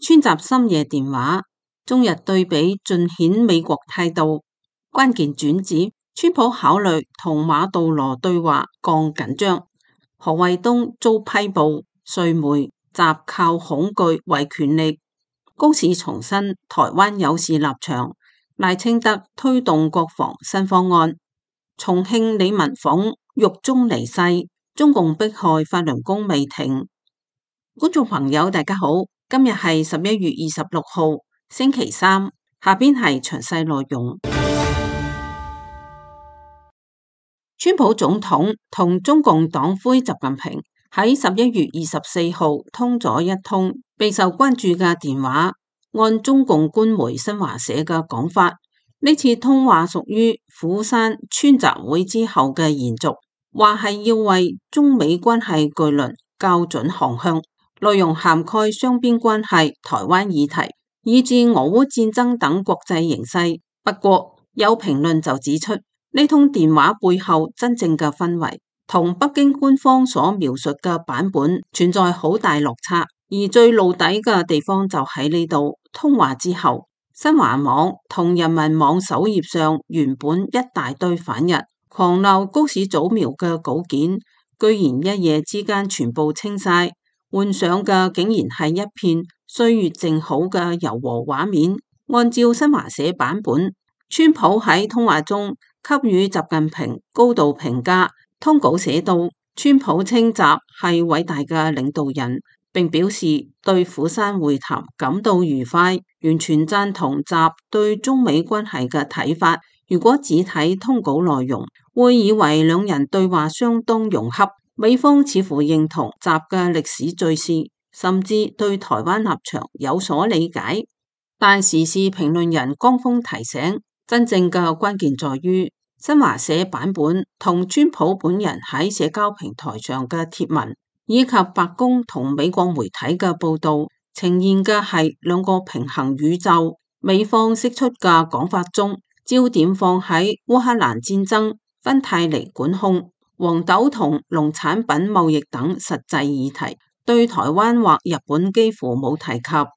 川習深夜電話，中日對比盡顯美國態度。關鍵轉折，川普考慮同馬杜羅對話降緊張。何衛東遭批捕，瑞媒習靠恐懼為權力。高市重申台灣有事立場。賴清德推動國防新方案。重慶李文鳳獄中離世，中共迫害法輪功未停。觀眾朋友大家好，今日係11月26號星期三，下邊係詳細內容。川普總統同中共黨魁習近平喺11月24號通咗一通備受關注嘅電話。按中共官媒新華社嘅講法，呢次通話屬於釜山川習會之後嘅延續，話係要為中美關係巨輪校準航向，內容涵蓋雙邊關係、台灣議題，以至俄烏戰爭等國際形勢。不過有評論就指出，呢通電話背後真正嘅氛圍同北京官方所描述嘅版本存在好大落差，而最露底嘅地方就喺呢度。通話之後，新華網同人民網首頁上原本一大堆反日狂鬧高市早苗嘅稿件，居然一夜之間全部清晒，換上嘅竟然係一片歲月靜好嘅柔和畫面。按照新華社版本，川普喺通話中給予習近平高度評價。通稿寫到，川普稱習係偉大嘅領導人，並表示對釜山會談感到愉快，完全贊同習對中美關係嘅睇法。如果只睇通稿內容，會以為兩人對話相當融洽，美方似乎認同習嘅歷史敘事，甚至對台灣立場有所理解。但時事評論人江峰提醒，真正嘅關鍵在於新華社版本同川普本人喺社交平台上嘅貼文，以及白宮同美國媒體嘅報道，呈現嘅係兩個平行宇宙。美方釋出嘅講法中，焦點放喺烏克蘭戰爭、芬太尼管控、黃豆同農產品貿易等實際議題，對台灣或日本幾乎冇提及，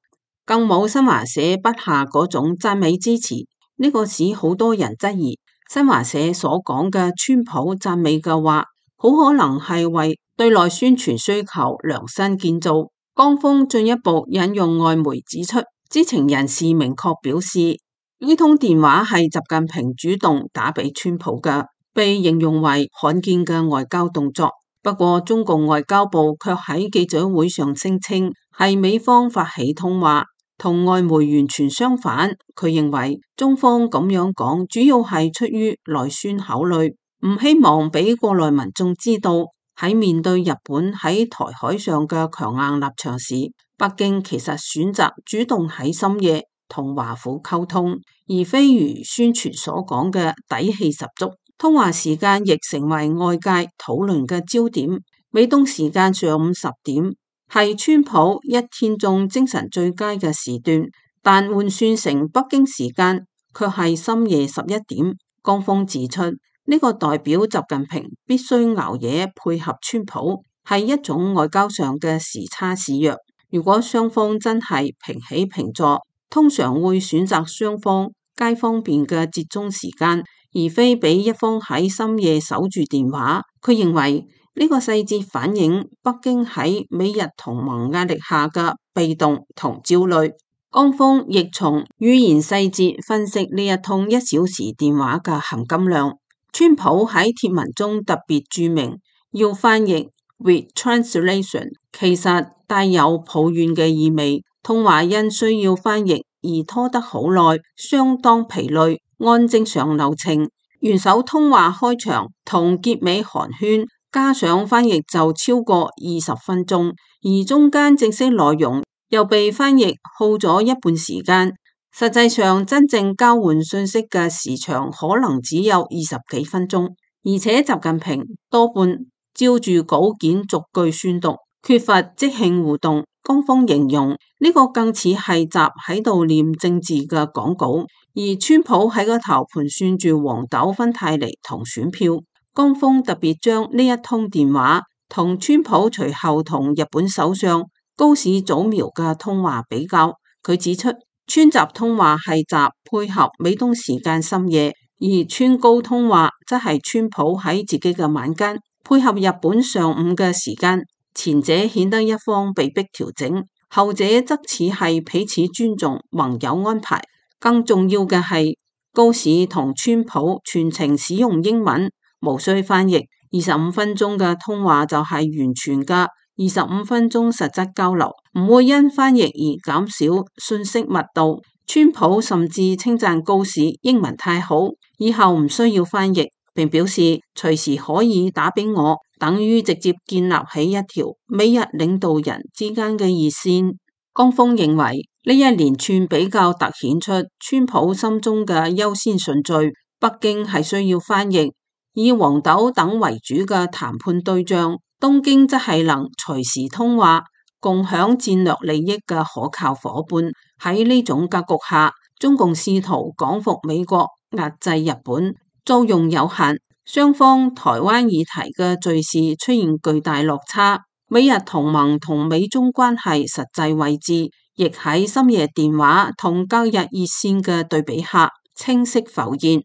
更冇新華社筆下嗰種讚美支持。呢個使好多人質疑新華社所講嘅川普讚美嘅話，好可能係為對內宣傳需求量身建造。江峰進一步引用外媒指出，知情人士明確表示，呢通電話係習近平主動打俾川普嘅，被形容為罕見嘅外交動作。不過中共外交部卻喺記者會上聲稱，係美方發起通話，同外媒完全相反。佢認為中方咁樣講，主要係出於內宣考慮，唔希望俾國內民眾知道，喺面對日本喺台海上嘅強硬立場時，北京其實選擇主動喺深夜同華府溝通，而非如宣傳所講嘅底氣十足。通話時間亦成為外界討論嘅焦點。美東時間上午10點係川普一天中精神最佳嘅時段，但換算成北京時間卻係深夜11點。江峰指出，呢個代表習近平必須熬夜配合川普，係一種外交上嘅時差示弱。如果雙方真係平起平坐，通常會選擇雙方皆方便嘅折中時間，而非俾一方喺深夜守住電話。佢認為呢個細節反映北京喺美日同盟壓力下嘅被動同焦慮。江峰亦從語言細節分析呢一通1小時電話嘅含金量。川普喺貼文中特別注明要翻譯 with translation， 其實帶有抱怨嘅意味。通話因需要翻譯而拖得好耐，相當疲累。按正常流程，元首通話開場同結尾寒暄，加上翻譯就超過20分鐘，而中間正式內容又被翻譯耗咗一半時間。實際上真正交換信息嘅時長可能只有20幾分鐘，而且習近平多半照住稿件逐句宣讀，缺乏即興互動。江峰形容呢個更似係習喺度念政治嘅講稿，而川普喺個頭盤算住黃豆、芬太尼同選票。江峰特別將呢一通電話同川普隨後同日本首相高市早苗嘅通話比較，佢指出川習通話係習配合美東時間深夜，而川高通話則係川普喺自己嘅晚間配合日本上午嘅時間，前者顯得一方被迫調整，後者則似係彼此尊重盟友安排。更重要嘅係高市同川普全程使用英文，無需翻譯，25分鐘嘅通話就係完全嘅25分鐘實質交流，唔會因翻譯而減少信息密度。川普甚至稱讚高市英文太好，以後唔需要翻譯，並表示隨時可以打俾我，等於直接建立起一條美日領導人之間嘅熱線。江峰認為呢一連串比較凸顯出川普心中嘅優先順序，北京係需要翻譯，以黃豆等為主嘅談判對象，東京則係能隨時通話共享戰略利益嘅可靠夥伴。喺呢種格局下，中共試圖講服美國，壓制日本，作用有限，雙方台灣議題嘅敘事出現巨大落差，美日同盟同美中關係實際位置亦喺深夜電話同隔日熱線嘅對比下清晰浮現。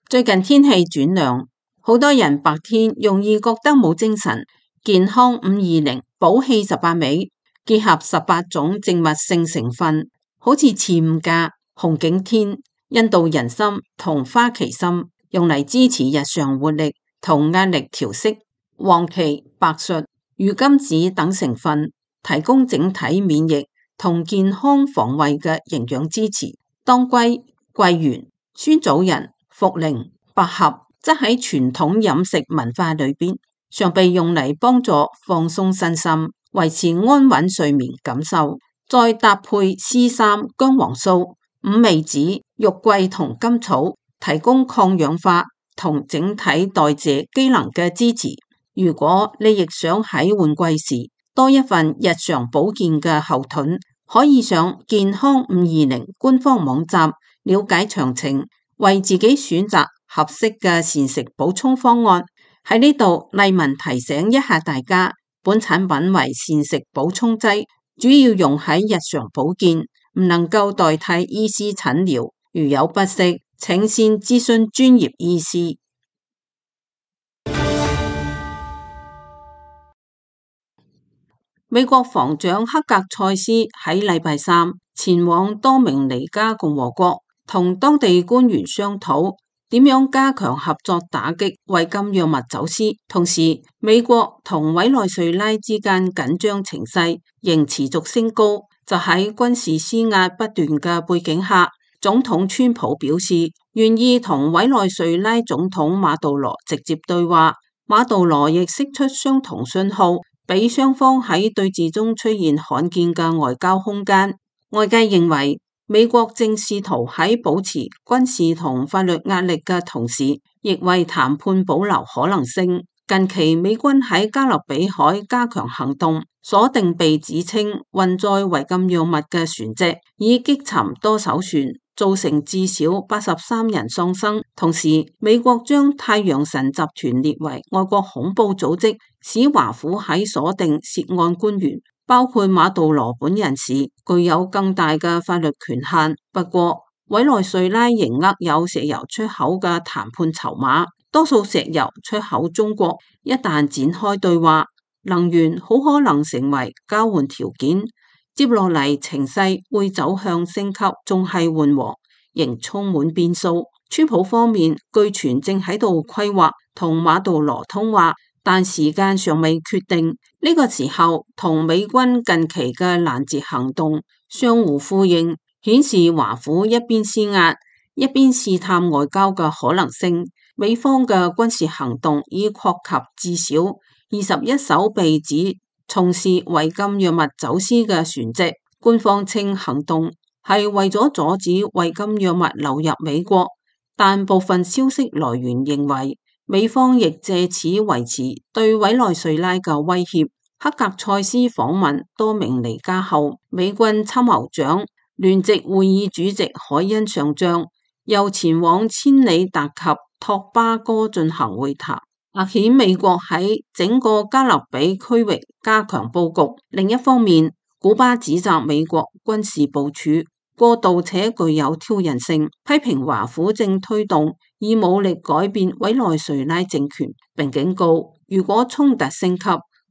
最近天氣轉涼，好多人白天容易覺得冇精神。健康520補氣18味，結合18種植物性成分，好似刺五加、紅景天、印度人參同花旗參，用嚟支持日常活力同壓力調適。黃芪、白術、魚甘子等成分，提供整體免疫同健康防衛嘅營養支持。當歸、桂圓、酸棗仁、茯苓、百合則喺傳統飲食文化裏邊，常被用嚟幫助放鬆身心、維持安穩睡眠感受。再搭配絲參、薑黃素、五味子、肉桂同甘草，提供抗氧化同整體代謝機能嘅支持。如果你亦想喺換季時多一份日常保健嘅後盾，可以上健康520官方網站了解詳情，為自己選擇合適嘅膳食補充方案。喺呢度，麗文提醒一下大家，本產品為膳食補充劑，主要用喺日常保健，唔能夠代替醫師診療。如有不適，請先諮詢專業醫師。美國防長克格塞斯喺禮拜三前往多明尼加共和國，同當地官員商討點樣加強合作打擊違禁藥物走私。同時，美國同委內瑞拉之間緊張情勢仍持續升高。就喺軍事施壓不斷嘅背景下，總統川普表示願意同委內瑞拉總統馬杜羅直接對話。馬杜羅亦釋出相同信號，俾雙方喺對峙中出現罕見嘅外交空間。外界認為，美國正試圖喺保持軍事同法律壓力嘅同時，亦為談判保留可能性。近期美軍喺加勒比海加強行動，鎖定被指稱運載違禁藥物嘅船隻，以擊沉多艘船，造成至少83人喪生。同時，美國將太陽神集團列為外國恐怖組織，使華府喺鎖定涉案官員，包括馬杜羅本人時，具有更大嘅法律權限。不過，委內瑞拉仍握有石油出口嘅談判籌碼，多數石油出口中國。一旦展開對話，能源好可能成為交換條件。接落嚟情勢會走向升級，仲係緩和，仍充滿變數。川普方面據傳正喺度規劃同馬杜羅通話，但時間尚未決定。呢個時候同美軍近期嘅攔截行動相互呼應，顯示華府一邊施壓，一邊試探外交嘅可能性。美方嘅軍事行動已擴及至少21艘被指從事違禁藥物走私嘅船隻。官方稱行動係為咗阻止違禁藥物流入美國，但部分消息來源認為，美方亦借此維持對委內瑞拉嘅威脅。克格塞斯訪問多明尼加後，美軍參謀長聯席會議主席海恩上將又前往千里達及托巴哥進行會談。顯美國喺整個加勒比區域加強佈局。另一方面，古巴指責美國軍事部署過度且具有挑釁性，批評華府正推動以武力改變委內瑞拉政權，並警告如果衝突升級，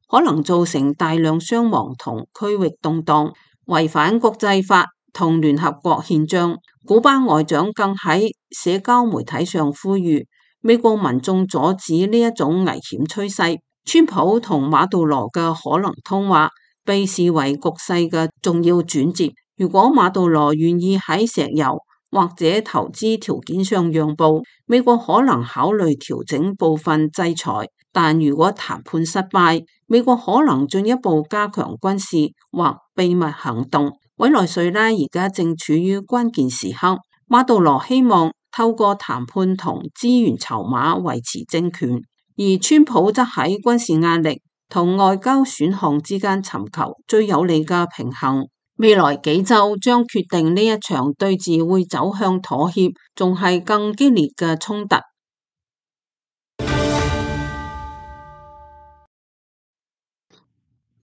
可能造成大量傷亡同區域動盪，違反國際法同聯合國憲章。古巴外長更喺社交媒體上呼籲美國民眾阻止呢一種危險趨勢。川普同馬杜羅嘅可能通話被視為局勢嘅重要轉折。如果馬杜羅願意喺石油或者投資條件上讓步，美國可能考慮調整部分制裁。但如果談判失敗，美國可能進一步加強軍事或秘密行動。委內瑞拉而家正處於關鍵時刻，馬杜羅希望透過談判同資源籌碼維持政權，而川普則喺軍事壓力同外交選項之間尋求最有利嘅平衡。未來幾週將決定呢一場對峙會走向妥協，仲係更激烈嘅衝突。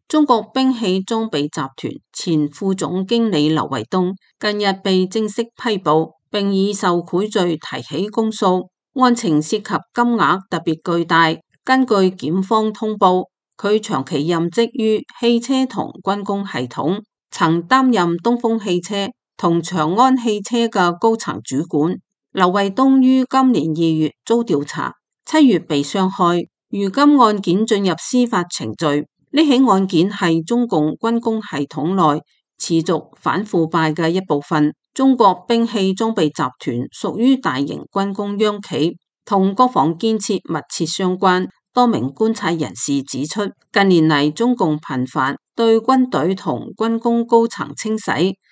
中國兵器裝備集團前副總經理劉衛東近日被正式批捕，並以受賄罪提起公訴，案情涉及金額特別巨大。根據檢方通報，佢長期任職於汽車同軍工系統，曾擔任東風汽車同長安汽車嘅高層主管。劉衛東於今年2月遭調查，7月被傷害，如今案件進入司法程序。呢起案件係中共軍工系統內持續反腐敗嘅一部分。中國兵器裝備集團屬於大型軍工央企，同國防建設密切相關。多名觀察人士指出，近年嚟中共頻繁對軍隊同軍工高層清洗，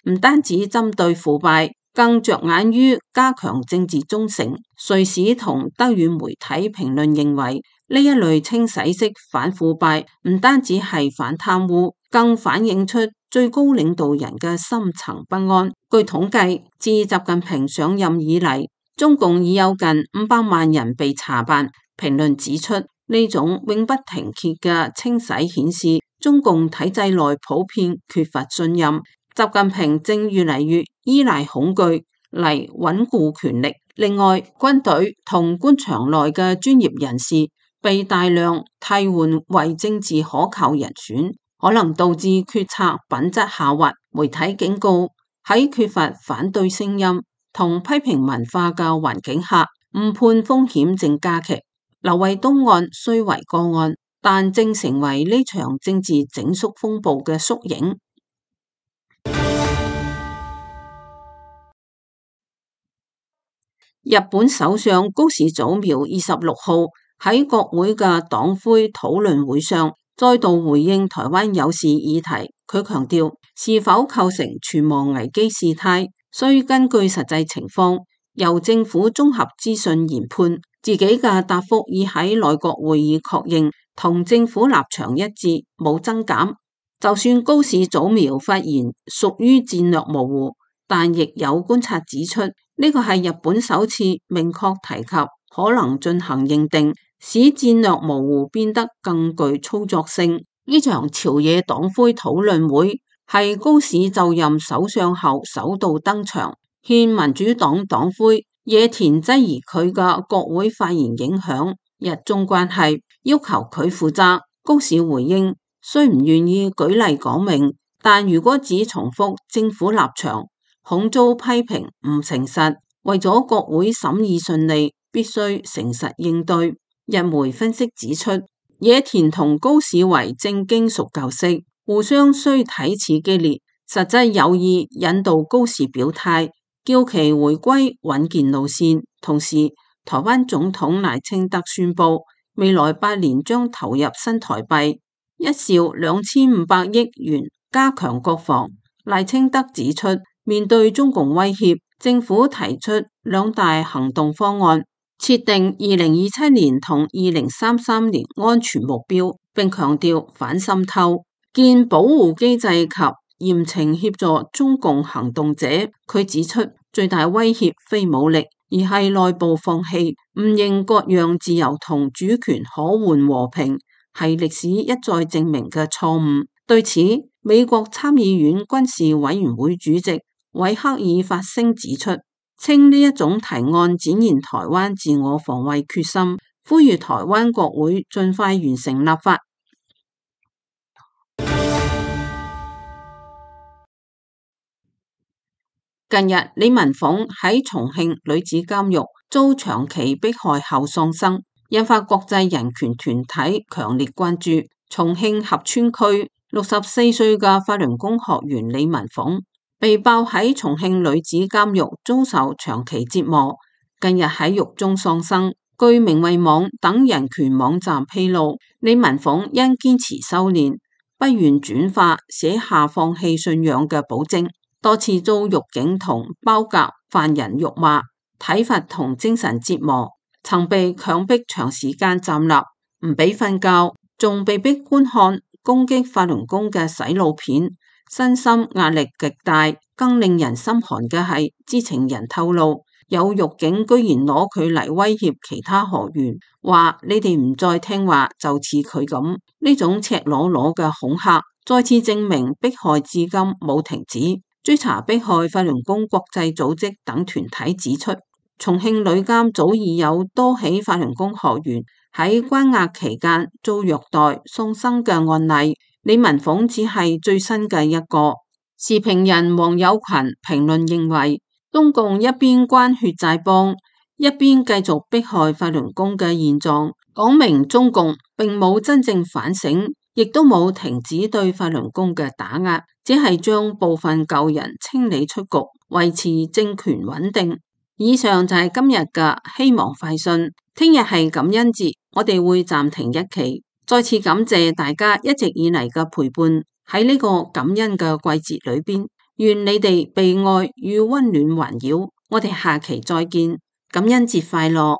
唔單止針對腐敗，更着眼於加強政治忠誠。瑞士同德語媒體評論認為，呢一類清洗式反腐敗唔單止係反貪污，更反映出最高領導人嘅深層不安。據統計，自習近平上任以嚟，中共已有近500萬人被查辦。評論指出，呢種永不停歇嘅清洗顯示中共體制內普遍缺乏信任。習近平正越嚟越依賴恐懼嚟穩固權力。另外，軍隊同官場內嘅專業人士被大量替換為政治可靠人選，可能導致決策品質下滑。媒體警告，喺缺乏反對聲音同批評文化嘅環境下，誤判風險正加劇。劉衛東案雖為個案，但正成為呢場政治整肅風暴嘅縮影。日本首相高市早苗26號喺國會嘅黨魁討論會上，再度回應台灣有事議題。佢強調，是否構成存亡危機事態，需根據實際情況，由政府綜合資訊研判。自己嘅答覆已喺內閣會議確認，同政府立場一致，冇增減。就算高市早苗發言屬於戰略模糊，但亦有觀察指出，呢個係日本首次明確提及可能進行認定，使戰略模糊變得更具操作性。呢場朝野黨魁討論會係高市就任首相後首度登場，獻民主黨黨魁野田質疑佢嘅國會發言影響日中關係，要求佢負責。高市回應，雖唔願意舉例講明，但如果只重複政府立場，恐遭批評唔誠實。為咗國會審議順利，必須誠實應對。日媒分析指出，野田同高市為正經熟舊識，互相雖睇似激烈，實際有意引導高市表態，叫其回歸穩健路線。同時，台灣總統賴清德宣布，未來8年將投入新台幣1兆2500億元加強國防。賴清德指出，面對中共威脅，政府提出2大行動方案，設定2027年同2033年安全目標，並強調反滲透、建保護機制及嚴懲協助中共行動者。佢指出，最大威脅非武力，而係內部放棄，唔認各樣自由同主權可換和平，係歷史一再證明嘅錯誤。對此，美國參議院軍事委員會主席韋克爾發聲指出，稱呢一種提案展現台灣自我防衛決心，呼籲台灣國會盡快完成立法。近日，李文鳳喺重慶女子監獄遭長期迫害後喪生，引發國際人權團體強烈關注。重慶合川區64歲嘅法輪功學員李文鳳被爆喺重慶女子監獄遭受長期折磨，近日喺獄中喪生。據明慧網等人權網站披露，李文鳳因堅持修煉，不願轉化，寫下放棄信仰嘅保證。多次遭獄警同包夾犯人辱罵、體罰同精神折磨，曾被強迫長時間站立，唔俾瞓覺，仲被逼觀看攻擊法輪功嘅洗腦片，身心壓力極大。更令人心寒嘅係，知情人透露，有獄警居然攞佢嚟威脅其他學員，話你哋唔再聽話就似佢咁。呢種赤裸裸嘅恐嚇，再次證明迫害至今冇停止。追查迫害法輪功國際組織等團體指出，重慶女監早已有多起法輪功學員喺關押期間遭虐待喪生嘅案例，李文鳳只係最新嘅一個。時評人黃友群評論認為，中共一邊關血債幫，一邊繼續迫害法輪功嘅現狀，講明中共並冇真正反省，亦都冇停止對法輪功嘅打壓，只係將部分舊人清理出局，維持政權穩定。以上就係今日嘅希望快訊，聽日係感恩節，我哋會暫停一期。再次感謝大家一直以嚟嘅陪伴，喺呢個感恩嘅季節裏邊，願你哋被愛與溫暖環繞。我哋下期再見，感恩節快樂。